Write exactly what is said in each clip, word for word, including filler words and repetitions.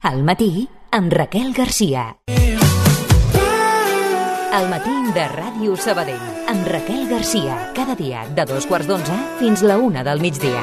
Al matí, amb Raquel Garcia. Al matí de Ràdio Sabadell, amb Raquel Garcia. Cada dia de dos quarts d'onze fins la una del migdia.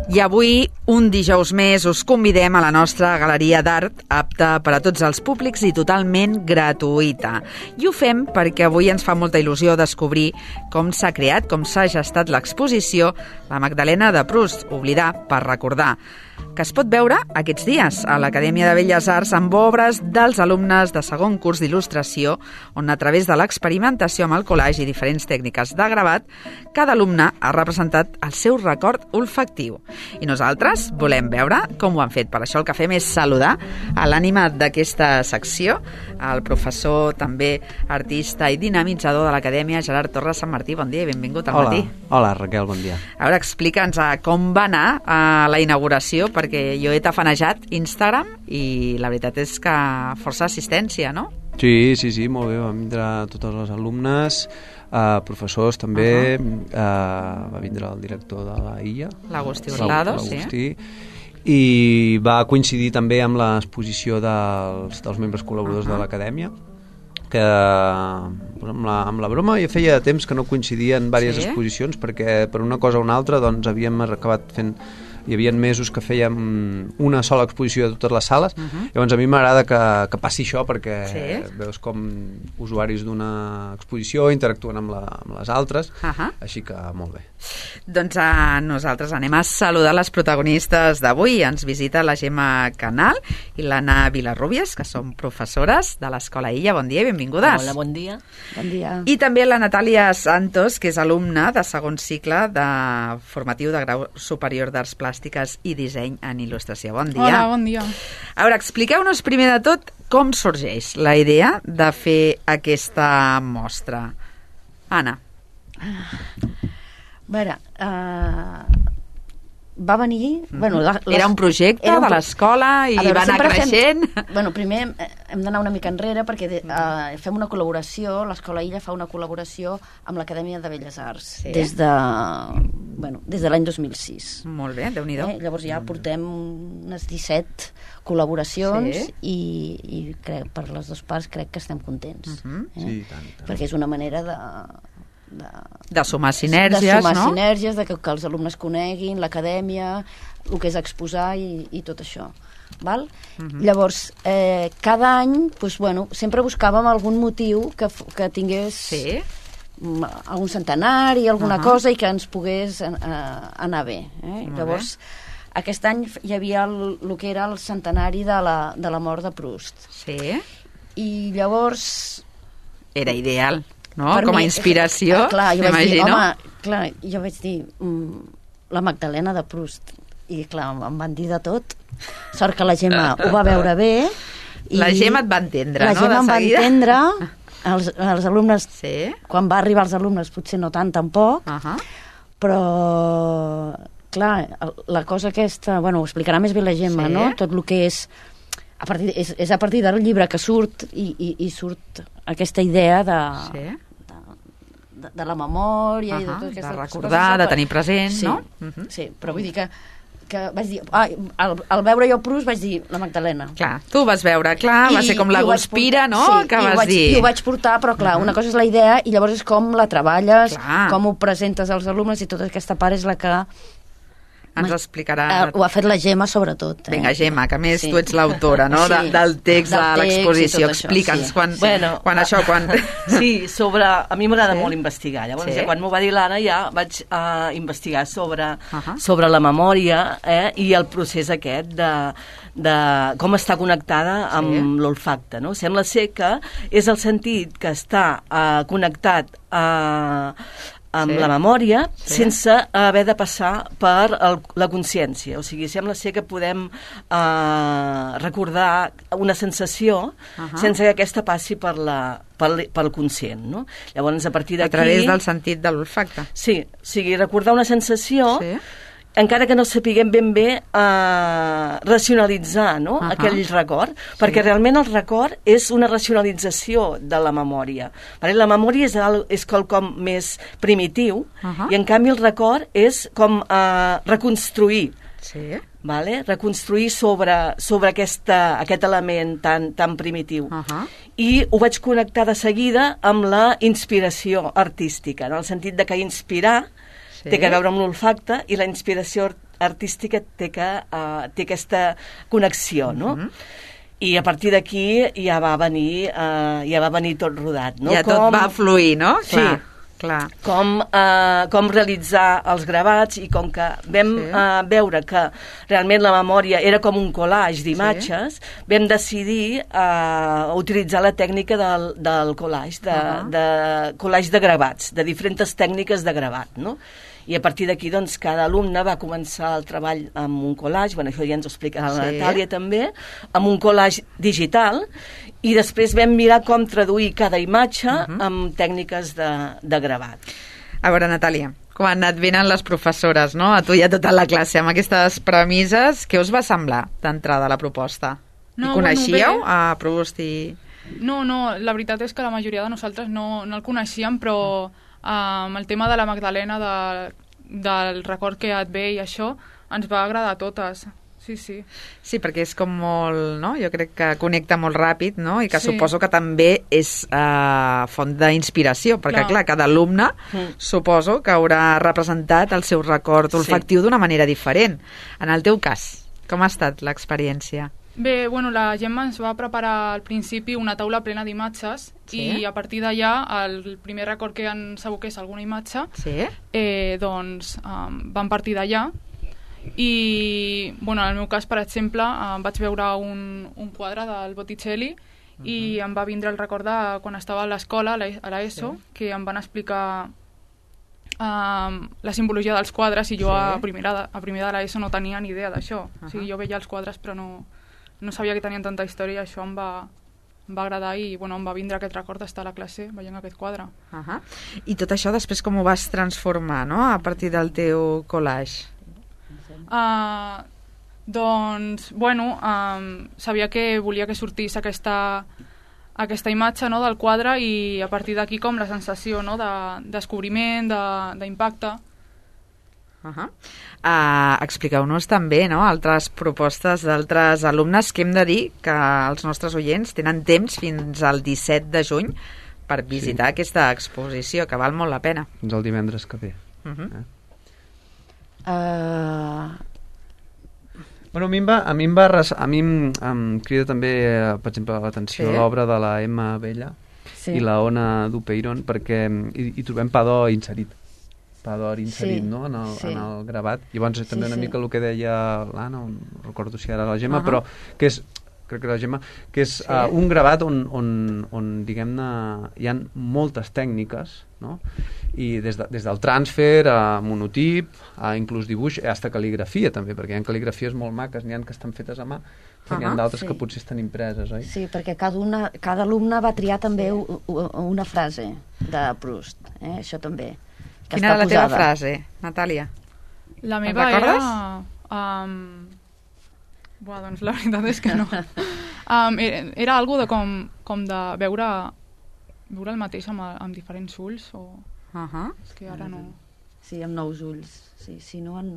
I avui, un dijous més, us convidem a la nostra galeria d'art, apta per a tots els públics i totalment gratuïta. I ho fem perquè avui ens fa molta il·lusió descobrir com s'ha creat, com s'ha gestat l'exposició La Magdalena de Proust, oblidar per recordar, que es pot veure aquests dies a l'Acadèmia de Belles Arts amb obres dels alumnes de segon curs d'il·lustració, on a través de l'experimentació amb el collage i diferents tècniques de gravat, cada alumne ha representat el seu record olfactiu. I nosaltres volem veure com ho han fet. Per això el que fem és saludar a l'ànima d'aquesta secció, el professor, també artista i dinamitzador de l'Acadèmia, Gerard Torres Sant Martí. Bon dia i benvingut al Hola. matí. Hola, Raquel, bon dia. A veure, explica'ns com va anar a la inauguració, perquè jo he tafanejat Instagram i la veritat és que força assistència, no? Sí, sí, sí, molt bé. Van vindre totes les alumnes, eh, professors també, uh -huh. eh, va vindre el director de la I A, l'Agustí Hurtado, sí. L'Agustí, i va coincidir també amb l'exposició dels, dels membres col·laboradors uh -huh. de l'Acadèmia, que amb la, amb la broma ja feia temps que no coincidien diverses sí? exposicions, perquè per una cosa o una altra doncs havíem acabat fent, hi havia mesos que fèiem una sola exposició de totes les sales. Uh-huh. Llavors a mi m'agrada que, que passi això, perquè sí? veus com usuaris d'una exposició interactuen amb, la, amb les altres, uh-huh. així que molt bé. Doncs uh, nosaltres anem a saludar les protagonistes d'avui. Ens visita la Gemma Canal i l'Anna Vilarrubias, que són professores de l'Escola Illa. Bon dia i benvingudes. Hola, bon dia. Bon dia. I també la Natàlia Santos, que és alumna de segon cicle de formatiu de grau superior d'Arts Plàstiques i Disseny en Il·lustració. Bon dia. Hola, bon dia. A veure, expliqueu-nos primer de tot com sorgeix la idea de fer aquesta mostra. Anna. A veure, uh, va venir... Mm-hmm. Bueno, la, les, era un projecte un, de l'escola i veure, va anar creixent. Fem, bueno, primer hem d'anar una mica enrere perquè de, uh, fem una col·laboració, l'Escola Illa fa una col·laboració amb l'Acadèmia de Belles Arts sí. des de, bueno, des de l'any dos mil sis. Molt bé, Déu-n'hi-do. Eh? Llavors ja portem unes disset col·laboracions sí. i, i crec, per les dues parts crec que estem contents. Uh-huh. eh? Sí, tant, tant. Perquè és una manera de... De, de sumar sinergies, de sumar no? sinergies, de que, que els alumnes coneguin l'acadèmia, el que és exposar i, i tot això. Val? Uh-huh. Llavors, eh, cada any, doncs, bueno, sempre buscàvem algun motiu que, que tingués sí. algun centenari, alguna uh-huh. cosa, i que ens pogués eh, anar bé. Eh? Llavors, bé. Aquest any hi havia el, el que era el centenari de la, de la mort de Proust. Sí. I llavors... Era ideal. No? Com a inspiració, eh, clar, jo vaig dir, m'imagino. Home, clar, jo vaig dir mm, la Magdalena de Proust, i clar, em van dir de tot. Sort que la Gemma ho va veure bé. I la Gemma et va entendre, la no? La Gemma em va entendre, els, els alumnes, sí? quan va arribar els alumnes potser no tant tampoc, uh-huh. però clar, la cosa aquesta, bueno, ho explicarà més bé la Gemma, sí? No? Tot el que és a partir, és, és a partir del llibre que surt i, i, i surt aquesta idea de... Sí? De, de la memòria uh-huh, i de tot aquestes de recordar, coses, de tenir present, sí, no? Uh-huh. Sí, però vull dir que, que vaig dir, ah, al, al veure jo Proust vaig dir la Magdalena. Clar, tu vas veure, clar, I, va ser com la Guspira, no? Sí, que vas vaig dir. I ho vaig portar, però clar, uh-huh. una cosa és la idea i llavors és com la treballes, clar. Com ho presentes als alumnes i tota aquesta part és la que ens explicarà... Uh, ho ha fet la Gemma, sobretot. Eh? Vinga, Gemma, que a més sí. tu ets l'autora, no?, sí. de, del text del de l'exposició. Explica'ns, sí. quan, bueno, quan això... Quan... Sí, sobre... A mi m'agrada sí? molt investigar. Llavors, sí? ja, quan m'ho va dir l'Anna, ja vaig uh, investigar sobre, uh -huh. sobre la memòria eh, i el procés aquest de, de com està connectada amb sí. l'olfacte. No? Sembla ser que és el sentit que està uh, connectat a... Uh, amb sí. la memòria, sí. sense haver de passar per el, la consciència. O sigui, sembla ser que podem eh, recordar una sensació uh -huh. sense que aquesta passi per la, pel, pel conscient, no? Llavors, a partir d'aquí... A través del sentit de l'olfacte. Sí, o sigui, recordar una sensació... Sí. encara que no sapiguem ben bé eh, racionalitzar no? Uh-huh. aquell record, perquè sí. realment el record és una racionalització de la memòria. Vale? La memòria és, el, és quelcom més primitiu uh-huh. i en canvi el record és com eh, reconstruir. Sí. Vale? Reconstruir sobre, sobre aquesta, aquest element tan, tan primitiu. Uh-huh. I ho vaig connectar de seguida amb la inspiració artística, en el sentit de que inspirar sí. té que veure amb l'olfacte i la inspiració artística té, que, uh, té aquesta connexió, no? Uh-huh. I a partir d'aquí ja va venir uh, ja va venir tot rodat, no? Ja com... tot va fluir, no? Sí. Clar. Clar. Com, eh, com realitzar els gravats i com que vam sí. eh, veure que realment la memòria era com un collage d'imatges, sí. vam decidir eh, utilitzar la tècnica del, del collage, de, uh-huh. de collage de gravats, de diferents tècniques de gravat, no? I a partir d'aquí, doncs, cada alumne va començar el treball amb un collage, bueno, això ja ens ho explicarà la sí. Natàlia també, amb un collage digital, i després vam mirar com traduir cada imatge uh-huh. amb tècniques de, de gravat. A veure, Natàlia, quan et venen les professores, no?, a tu i a tota la classe, amb aquestes premisses, què us va semblar d'entrada la proposta? No, I coneixíeu bueno, a Proust i... No, no, la veritat és que la majoria de nosaltres no, no el coneixíem, però amb um, el tema de la Magdalena, de, del record que et ve i això, ens va agradar a totes. Sí, sí. Sí, perquè és com molt, no? Jo crec que connecta molt ràpid, no? I que sí. suposo que també és eh, font d'inspiració, perquè, clar, clar cada alumne mm. suposo que haurà representat el seu record olfactiu sí. d'una manera diferent. En el teu cas, com ha estat l'experiència? Bé, bueno, la Gemma ens va preparar al principi una taula plena d'imatges sí? i a partir d'allà, el primer record que ens aboqués alguna imatge, sí? eh, doncs um, vam partir d'allà. I, bueno, en el meu cas, per exemple, em vaig veure un, un quadre del Botticelli uh-huh. i em va vindre el record de quan estava a l'escola, a l'ESO, sí. que em van explicar um, la simbologia dels quadres i jo sí. a, primera, a primer de l'ESO no tenia ni idea d'això. Uh-huh. O sigui, jo veia els quadres però no, no sabia que tenien tanta història i això em va, em va agradar i bueno, em va vindre aquest record d'estar a la classe veient aquest quadre. Uh-huh. I tot això després com ho vas transformar, no?, a partir del teu collage? Uh, doncs, bueno, um, sabia que volia que sortís aquesta, aquesta imatge, no?, del quadre i a partir d'aquí com la sensació, no?, de descobriment, d'impacte. Uh-huh. Uh, expliqueu-nos també, no?, altres propostes d'altres alumnes, que hem de dir que els nostres oients tenen temps fins al disset de juny per visitar sí. aquesta exposició, que val molt la pena. Fins el divendres que ve. Uh-huh. eh? Uh... Bueno, a mi em va, a mi em, va res, a mi em, em crida també, eh, per exemple, l'atenció sí? l'obra de la Emma Bella sí. i la Ona Dupeyron, perquè hi, hi trobem pa d'or inserit. Pa d'or inserit, sí. no?, en el, sí. en el gravat. Llavors, també sí, una sí. mica el que deia l'Anna, no recordo si era la Gemma, uh-huh. però que és, crec que la Gemma, que és sí. uh, un gravat on, on, on diguem-ne, hi ha moltes tècniques, no?, i des, de, des del transfer a monotip, a inclús dibuix, hasta cal·ligrafia també, perquè hi ha cal·ligrafies molt maques, n'hi ha que estan fetes a mà, però uh-huh, n'hi ha d'altres sí. que potser estan impreses, oi? Sí, perquè cada, una, cada alumne va triar també sí. una frase de Proust, eh? Això també. Quina era la teva frase, Natàlia? La meva era... Um, buah, doncs la veritat és que no. Um, era, era algo de com, com de veure, veure el mateix amb, amb diferents ulls o... Uh-huh. És que ara no... Sí, amb nous ulls. Sí, si no en...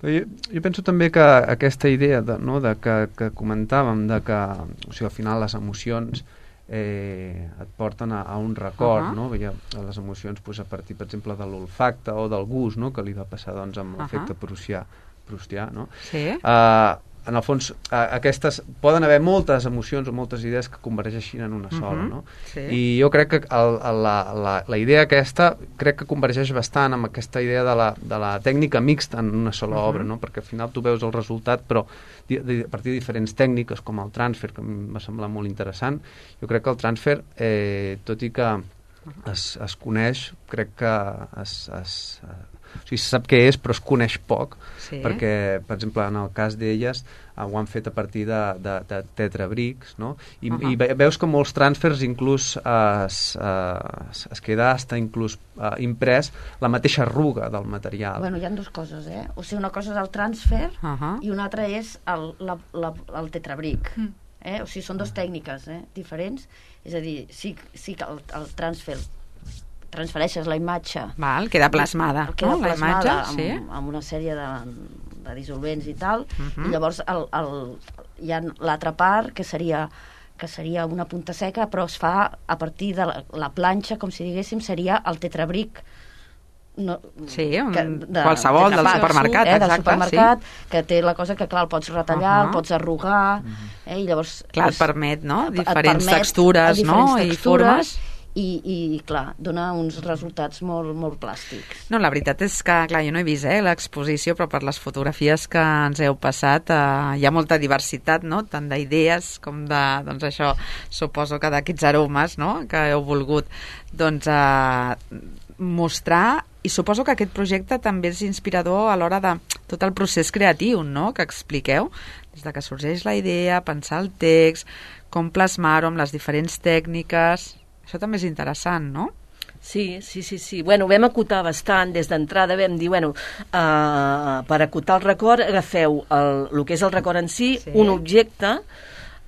Però jo, jo penso també que aquesta idea de, no, de que, que comentàvem de que, o sigui, al final les emocions eh, et porten a, a un record, uh-huh. no? Veia les emocions pues, a partir, per exemple, de l'olfacte o del gust, no? Que li va passar doncs, amb l'efecte uh-huh. prussià, prustià, no? Sí. Uh, en el fons, uh, aquestes poden haver moltes emocions o moltes idees que convergeixin en una sola, uh-huh. no? Sí. I jo crec que el, la, la, la idea aquesta crec que convergeix bastant amb aquesta idea de la, de la tècnica mixta en una sola uh-huh. obra, no? Perquè al final tu veus el resultat, però di, di, a partir de diferents tècniques, com el transfer, que em va semblar molt interessant, jo crec que el transfer, eh, tot i que es, es coneix, crec que es, es, o sigui, se sap què és, però es coneix poc, sí. perquè, per exemple, en el cas d'elles, uh, ho han fet a partir de, de, de tetrabrics, no? I, uh-huh. i veus que molts transfers inclús uh, es, uh, es queda hasta inclús uh, imprès la mateixa arruga del material. Bueno, hi ha dues coses, eh? O sigui, una cosa és el transfer uh-huh. i una altra és el, la, la, el tetrabric. Mm. Eh? O sigui, són dues tècniques eh? diferents. És a dir, sí, sí que el, el transfer transfereixes la imatge. Val, queda plasmada. Queda no? plasmada la imatge, amb, sí. amb una sèrie de, de dissolvents i tal, uh-huh. i llavors el, el, hi ha l'altra part que seria que seria una punta seca, però es fa a partir de la, la planxa, com si diguéssim, seria el tetrabric no, sí, un, que, de, qualsevol del supermercat, eh, exacte, del supermercat, sí. que té la cosa que, clar, el pots retallar, uh-huh. el pots arrugar, eh, i llavors... Clar, és, et permet, no?, et diferents permet textures, diferents no?, textures, i formes... I, i, clar, dona uns resultats molt, molt plàstics. No, la veritat és que, clar, jo no he vist eh, l'exposició, però per les fotografies que ens heu passat eh, hi ha molta diversitat, no?, tant d'idees com de, doncs això, suposo que d'aquests aromes, no?, que heu volgut, doncs, eh, mostrar, i suposo que aquest projecte també és inspirador a l'hora de tot el procés creatiu, no?, que expliqueu, des de que sorgeix la idea, pensar el text, com plasmar-ho amb les diferents tècniques... Això també és interessant, no? Sí, sí, sí, sí. Bueno, vam acotar bastant, des d'entrada vam dir, bueno, uh, per acotar el record agafeu el, el que és el record en si, sí. un objecte,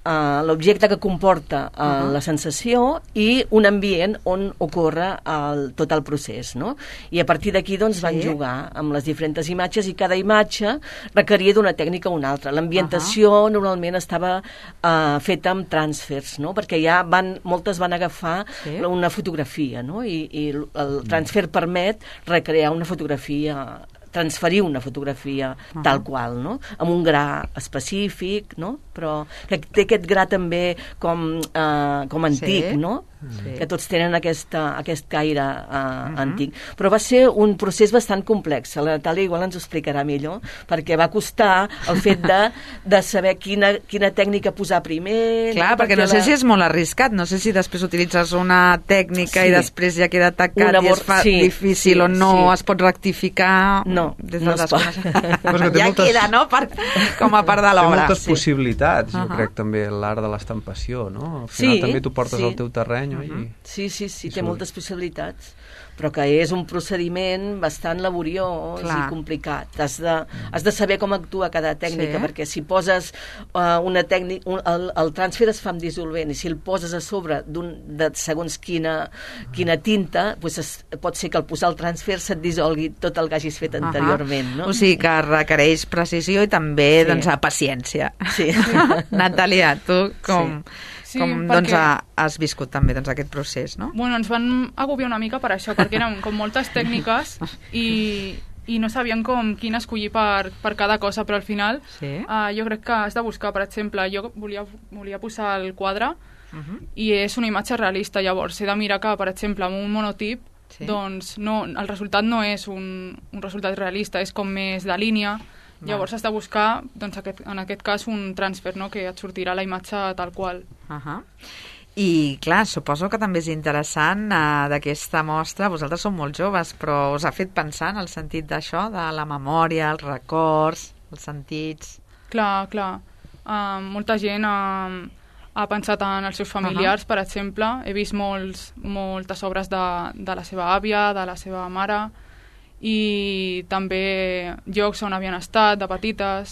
uh, l'objecte que comporta uh, uh-huh. la sensació i un ambient on ocorre el, tot el procés, no? I a partir d'aquí, doncs, sí. van jugar amb les diferents imatges i cada imatge requeria d'una tècnica o una altra. L'ambientació uh-huh. normalment estava uh, feta amb transfers, no? Perquè ja van, moltes van agafar sí. una fotografia, no? I, i el transfer permet recrear una fotografia, transferir una fotografia uh-huh. tal qual, no? Amb un gra específic, no? Però que té aquest gra també com, eh, com antic, sí. no? Sí. Que tots tenen aquesta, aquest caire uh, uh-huh. antic. Però va ser un procés bastant complex. La Natàlia igual ens ho explicarà millor, perquè va costar el fet de, de saber quina, quina tècnica posar primer... Clar, no? perquè, perquè no la... sé si és molt arriscat, no sé si després utilitzes una tècnica sí. i després ja queda tacat i es fa sí, difícil sí, o no sí. es pot rectificar... No, des no es pot. Ja moltes... queda, no?, per, com a part de l'obra. Té moltes sí. possibilitats, jo uh-huh. crec, també, l'art de l'estampació, no? Al final sí, també tu portes sí. al teu terreny. Uh-huh. I... Sí, sí, sí, té moltes possibilitats, però que és un procediment bastant laboriós Clar. i complicat. Has de, has de saber com actua cada tècnica, sí. perquè si poses uh, una tècnica... Un, el, el transfer es fa amb dissolvent, i si el poses a sobre d'un, de segons quina, quina tinta, pues es, pot ser que al posar el transfer se't dissolgui tot el que hagis fet anteriorment. No? O sigui que requereix precisió i també sí. doncs, paciència. Sí. Natàlia, tu com... Sí. Sí, com doncs, perquè... has viscut també doncs, aquest procés, no? Bueno, ens van agobiar una mica per això, perquè eren com moltes tècniques i, i no sabien com quina escollir per, per cada cosa, però al final sí. uh, jo crec que has de buscar, per exemple, jo volia, volia posar el quadre uh-huh. i és una imatge realista, llavors he de mirar que, per exemple, amb un monotip sí. doncs no, el resultat no és un, un resultat realista, és com més de línia. Llavors has de buscar, doncs, aquest, en aquest cas, un transfer, no?, que et sortirà la imatge tal qual. Uh-huh. I, clar, suposo que també és interessant uh, d'aquesta mostra, vosaltres sou molt joves, però us ha fet pensar en el sentit d'això, de la memòria, els records, els sentits... Clar, clar. Uh, molta gent uh, ha pensat en els seus familiars, uh-huh. per exemple. He vist molts, moltes obres de, de la seva àvia, de la seva mare... i també llocs on havien estat de petites.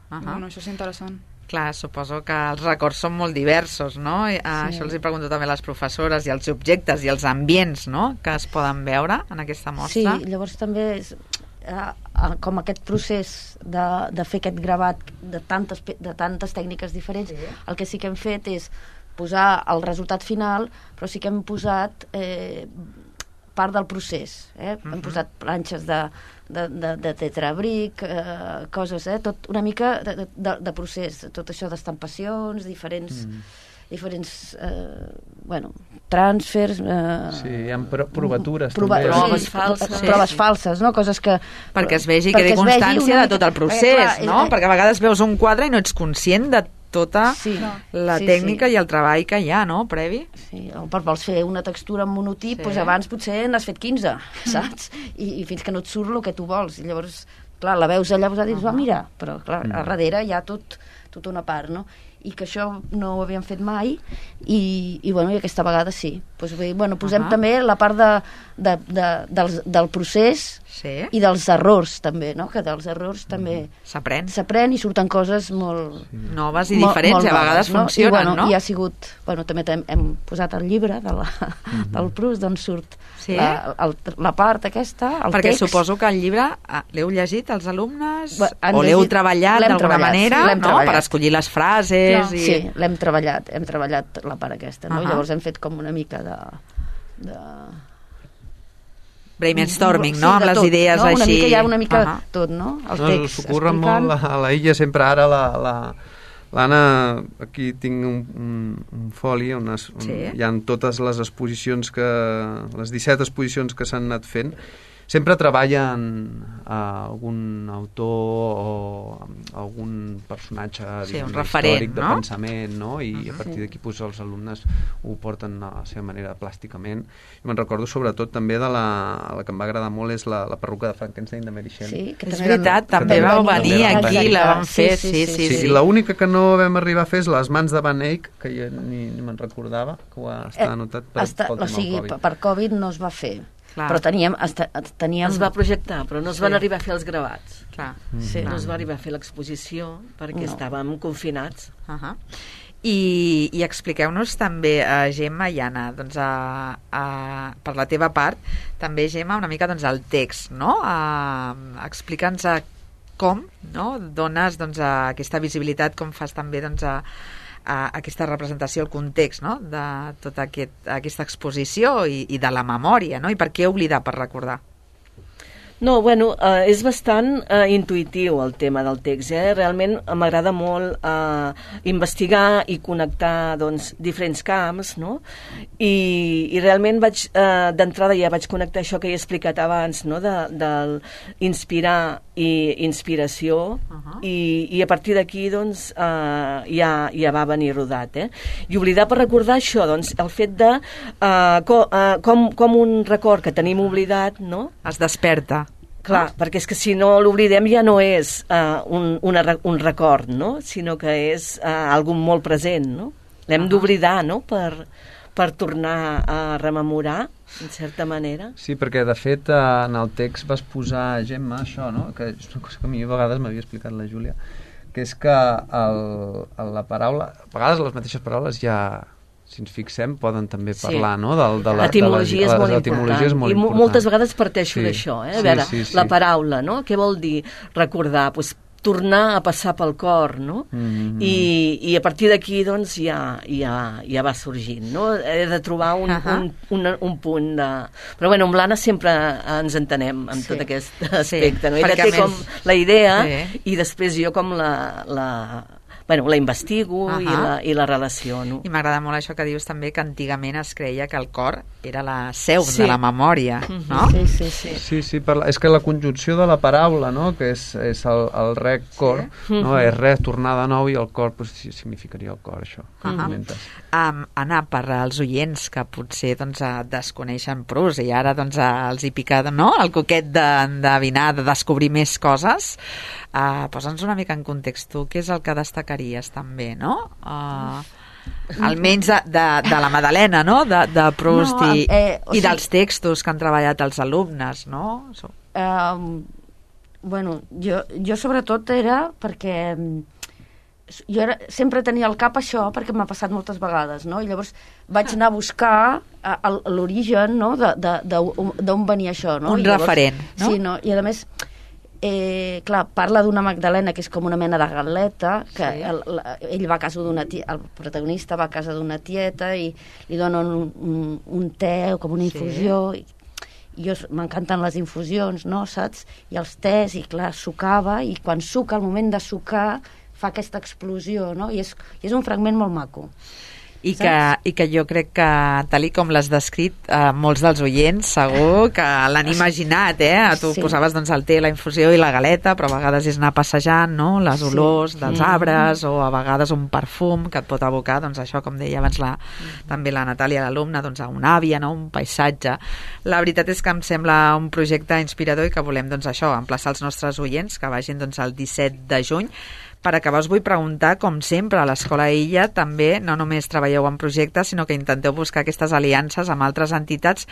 Uh-huh. Bueno, això és interessant. Clar, suposo que els records són molt diversos, no? I, sí. Això els hi pregunto també a les professores, i els objectes i els ambients, no?, que es poden veure en aquesta mostra. Sí, llavors també és, eh, com aquest procés de, de fer aquest gravat de tantes, de tantes tècniques diferents, sí. el que sí que hem fet és posar el resultat final, però sí que hem posat eh, part del procés. Eh? Uh-huh. Hem posat planxes de, de, de, de tetrabric, eh, coses, eh? Tot una mica de, de, de procés, tot això d'estampacions, diferents... Mm. diferents, eh, bueno, transfers... Eh, sí, hi ha provatures prova, també. Proves sí, falses. Sí. Proves falses, no? Coses que... Perquè es vegi, quedi constància de tot el procés, perquè, clar, no? Eh, perquè a vegades veus un quadre i no ets conscient de tota sí, la sí, tècnica sí. i el treball que hi ha, no, previ? Sí, o per vols fer una textura en monotip, sí. doncs abans potser n'has fet quinze, saps? I, I fins que no et surt el que tu vols. I llavors, clar, la veus allà posada i dius, uh -huh. va, mira, però clar, a darrere hi ha tot, tota una part, no? I que això no ho havíem fet mai i, i, bueno, i aquesta vegada sí. Pues, bueno, posem uh -huh. també la part de, de, de, del, del procés sí. i dels errors també, no? Que dels errors també s'aprèn s'aprèn i surten coses molt... Sí. Noves i diferents, molt, molt i a vegades noves, funcionen, no? I, bueno, no? I ha sigut... Bueno, també hem, hem posat el llibre de la, uh -huh. del Proust, d'on surt sí? la, el, la part aquesta, el Perquè text. suposo que el llibre l'heu llegit els alumnes bueno, o l'heu treballat d'alguna manera, sí, no? Treballat. Per escollir les frases. I... Sí, l'hem treballat, hem treballat la part aquesta, no? Uh -huh. Llavors hem fet com una mica de... de... brainstorming, sí, no? Amb les tot, idees no? així. Una mica, hi ha una mica uh -huh. tot, no? El no, text s'ocorre explicant... molt a la Illa, sempre ara la... la... L'Anna, aquí tinc un, un, un foli on, es, on sí. hi ha totes les exposicions que... les disset exposicions que s'han anat fent. Sempre treballen a algun autor o algun personatge sí, un referent, històric, no? de pensament, no? I uh-huh. a partir d'aquí pues, els alumnes ho porten a la seva manera plàsticament. I me'n recordo sobretot també de la, la que em va agradar molt és la, la perruca de Frankenstein de Mary Shelley. Sí, que és veritat, també vau venir aquí i la vam fer, sí, sí, sí. sí, sí. sí. I l'única que no vam arribar a fer és les mans de Van Eyck, que jo ni, ni me'n recordava, que ho està eh, anotat per, està, pel tema o sigui, Covid. per Covid no es va fer. Clar. Però teníem, esta, teníem... Es va projectar, però no es sí. van arribar a fer els gravats. Clar. Sí. No es va arribar a fer l'exposició perquè no. estàvem confinats. Uh -huh. I, i expliqueu-nos també, uh, Gemma i Anna, doncs, uh, uh, per la teva part, també, Gemma, una mica doncs, el text, no? Uh, Explica'ns uh, com no? dones doncs, uh, aquesta visibilitat, com fas també doncs, uh, a aquesta representació, el context, no? De tota aquest, aquesta exposició i, i de la memòria, no? I per què oblidar per recordar? No, bueno, eh, és bastant eh, intuïtiu el tema del text, eh? Realment m'agrada molt eh, investigar i connectar doncs, diferents camps, no? I, i realment vaig, eh, d'entrada ja vaig connectar això que he explicat abans, no? De, del inspirar i inspiració, uh -huh. i, i a partir d'aquí doncs, eh, ja, ja va venir rodat, eh? I oblidar per recordar això, doncs, el fet de eh, co, eh, com, com un record que tenim oblidat, no? Es desperta. Clar, ah. perquè és que si no l'oblidem ja no és uh, un, una, un record, no? Sinó que és uh, algo molt present, no? L'hem uh -huh. d'oblidar, no? Per, per tornar a rememorar, en certa manera. Sí, perquè de fet en el text vas posar, Gemma, això, no? Que és una cosa que a mi a vegades m'havia explicat la Júlia, que és que el, la paraula, a vegades les mateixes paraules ja... si ens fixem, poden també parlar, sí. no? De, de la, etimologia és molt important. És molt I important. moltes vegades parteixo sí. d'això, eh? A sí, veure, sí, sí. la paraula, no? Què vol dir recordar? Pues, tornar a passar pel cor, no? Mm-hmm. I, i a partir d'aquí, doncs, ja, ja, ja va sorgint, no? He de trobar un, uh-huh. un, un, un punt de... Però, bueno, amb l'Anna sempre ens entenem en sí. tot aquest aspecte, sí. no? Ella té més... com la idea sí. i després jo com la... la bueno, la investigo uh-huh. i, la, i la relaciono. I m'agrada molt això que dius també, que antigament es creia que el cor era la seu sí. de la memòria, uh-huh. no? Sí, sí, sí. Sí, sí, per la, és que la conjunció de la paraula, no?, que és, és el, el rec cor, sí. no?, és res, tornar de nou, i el cor, pues, sí, significaria el cor, això. Uh-huh. um, Anna, per als oients que potser doncs, desconeixen Proust i ara doncs, els hi pica, no?, el coquet d'endevinar, de, de descobrir més coses, uh, posa'ns una mica en context, tu, què és el que destacaries també, no?, uh, almenys de, de, de la Madalena, no?, de, de Proust no, i, eh, i sigui, dels textos que han treballat els alumnes, no? So. Uh, bueno, jo, jo sobretot era perquè jo era, sempre tenia al cap això perquè m'ha passat moltes vegades, no? I llavors vaig anar a buscar l'origen, no?, d'on venia això, no? Un I llavors, referent, no? Sí, no? I a més eh, clar, parla d'una magdalena que és com una mena de galeta, que Sí. el, la, ell va a casa d'una tieta, el protagonista va a casa d'una tieta i li donen un, un, un te o com una infusió, sí. i jo m'encanten les infusions, no, saps? I els tés, i clar, sucava, i quan suca, al moment de sucar, fa aquesta explosió, no? I és, i és un fragment molt maco. I que, I que jo crec que, tal i com l'has descrit, eh, molts dels oients segur que l'han imaginat, eh? Tu Sí. posaves doncs, el té, la infusió i la galeta, però a vegades és anar passejant, no? Les Sí. olors dels Mm. arbres, o a vegades un perfum que et pot abocar, doncs això, com deia abans la, també la Natàlia, l'alumna, doncs a una àvia, no? Un paisatge. La veritat és que em sembla un projecte inspirador i que volem, doncs això, emplaçar els nostres oients que vagin doncs, el disset de juny. Per acabar, us vull preguntar, com sempre, a l'Escola Illa també no només treballeu en projectes, sinó que intenteu buscar aquestes aliances amb altres entitats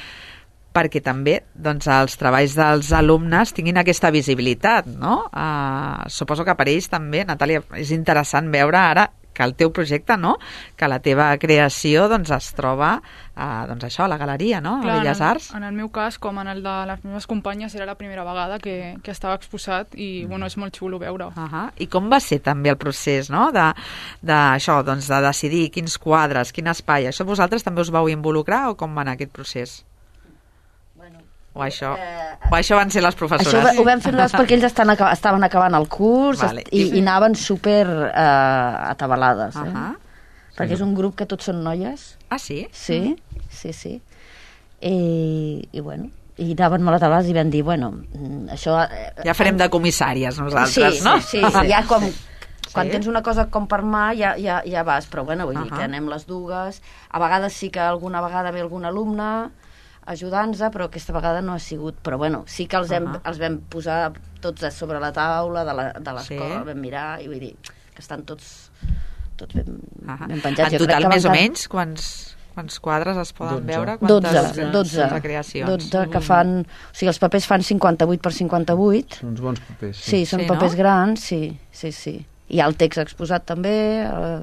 perquè també doncs, els treballs dels alumnes tinguin aquesta visibilitat, no? Uh, suposo que per ells també, Natàlia, és interessant veure ara que el teu projecte, no? Que la teva creació doncs, es troba a, doncs això, a la galeria, no? Clar, a Belles en el, Arts. En el meu cas, com en el de les meves companyes, era la primera vegada que, que estava exposat i bueno, és molt xulo veure-ho. Uh -huh. I com va ser també el procés, no? De, de, això, doncs, de decidir quins quadres, quin espai. Això vosaltres també us vau involucrar o com va anar aquest procés? O això, o això van ser les professores? Això ho, ho vam fer nosaltres perquè ells estan, estaven acabant el curs, Vale. i, i anaven super eh, atabalades, eh? Uh -huh. Perquè és un grup que tots són noies. Ah, sí? Sí, sí, sí. I, i bueno, i anaven molt atabalades i vam dir, bueno, això... Eh, Ja farem de comissàries nosaltres, sí, no? Sí, sí, ja com... Quan Sí. tens una cosa com per mà ja, ja, ja vas, però bueno, vull uh -huh. dir que anem les dues. A vegades sí que alguna vegada ve algun alumne ajudant-nos, però aquesta vegada no ha sigut. Però bueno, sí que els, hem, uh -huh. els vam posar tots a sobre la taula de l'escola, Sí. vam mirar, i vull dir que estan tots, tots ben, Uh -huh. ben penjats. En Jo crec total, que més o van menys, quants, quants quadres es poden dotze. veure? Quantes, dotze, dotze, dotze creacions. dotze que fan... O sigui, els papers fan cinquanta-vuit per cinquanta-vuit. Són uns bons papers. Sí, són Sí, papers no? grans, sí, sí, sí. Hi ha el text exposat també, eh,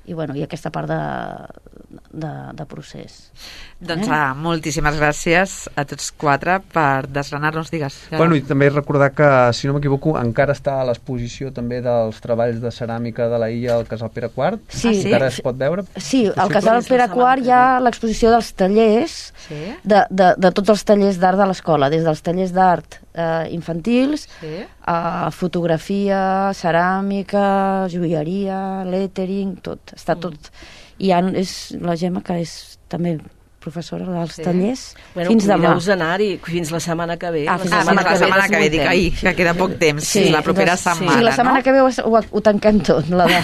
i bueno, i aquesta part de, de, de procés. Doncs Eh? ah, moltíssimes gràcies a tots quatre per desgranar-nos, digues. Bueno, i també recordar que, si no m'equivoco, encara està a l'exposició també dels treballs de ceràmica de la illa al Casal Pere quart. Sí. Ah, sí? Encara es pot veure? Sí, al Possible? Casal Pere quart hi ha l'exposició dels tallers, Sí? de, de, de tots els tallers d'art de l'escola, des dels tallers d'art eh, infantils, Sí? a fotografia, ceràmica, joieria, lettering, tot, està tot. I ha, és la Gemma, que és també professora dels Sí. tallers, Bueno, fins demà. convideu-us a anar-hi fins la setmana que ve. Ah, fins Ah, la setmana la setmana que ve, dic, desmuntem. ai, que queda poc temps, sí, la propera doncs, setmana, sí, la setmana no? que ve ho, ho, ho tanquem tot, la de,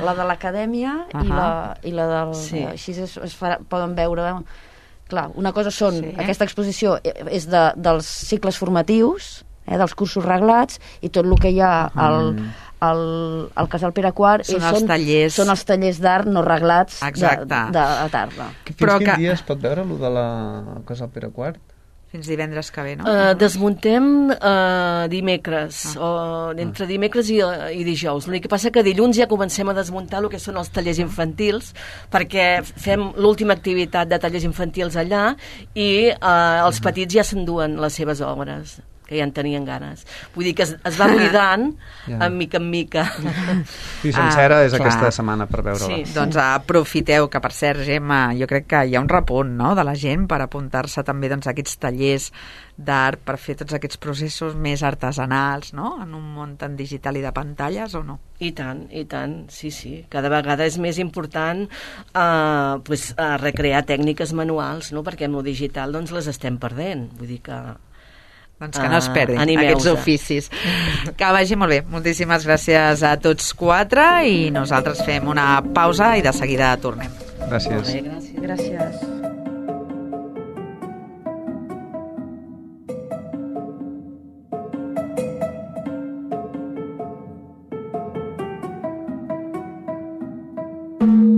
la de l'acadèmia i, Ahà. la, i la del... Sí. Així es, es farà, poden veure... Clar, una cosa són... Sí. Sí. Aquesta exposició és de, dels cicles formatius, eh, dels cursos reglats, i tot el que hi ha al, al, al Casal Pere quart Són és, els tallers. són els tallers d'art no reglats de, Exacte. de, a tarda. Fins Però quin que- dia es pot veure, allò de la Casal Pere quart? Fins divendres que ve, no? Uh, desmuntem uh, dimecres, o entre dimecres i, i dijous. L'únic que passa que dilluns ja comencem a desmuntar el que són els tallers infantils, perquè fem l'última activitat de tallers infantils allà i uh, els petits ja s'enduen les seves obres, que ja en tenien ganes. Vull dir que es, es va buidant Ja. en mica en mica. Sí, sencera Ah, és clar. aquesta setmana per veure-la. Sí. Doncs aprofiteu, que per cert, Gemma, jo crec que hi ha un repunt, no?, de la gent per apuntar-se també doncs, a aquests tallers d'art, per fer tots aquests processos més artesanals, no?, en un món tan digital i de pantalles, o no? I tant, i tant, sí, sí. Cada vegada és més important eh, pues, eh, recrear tècniques manuals, no?, perquè amb el digital doncs, les estem perdent. Vull dir que... Doncs que no es Ah, perdin animeu-se. aquests oficis. Que vagi molt bé. Moltíssimes gràcies a tots quatre i nosaltres fem una pausa i de seguida tornem. Gràcies. Molt bé, gràcies. Gràcies. Thank you.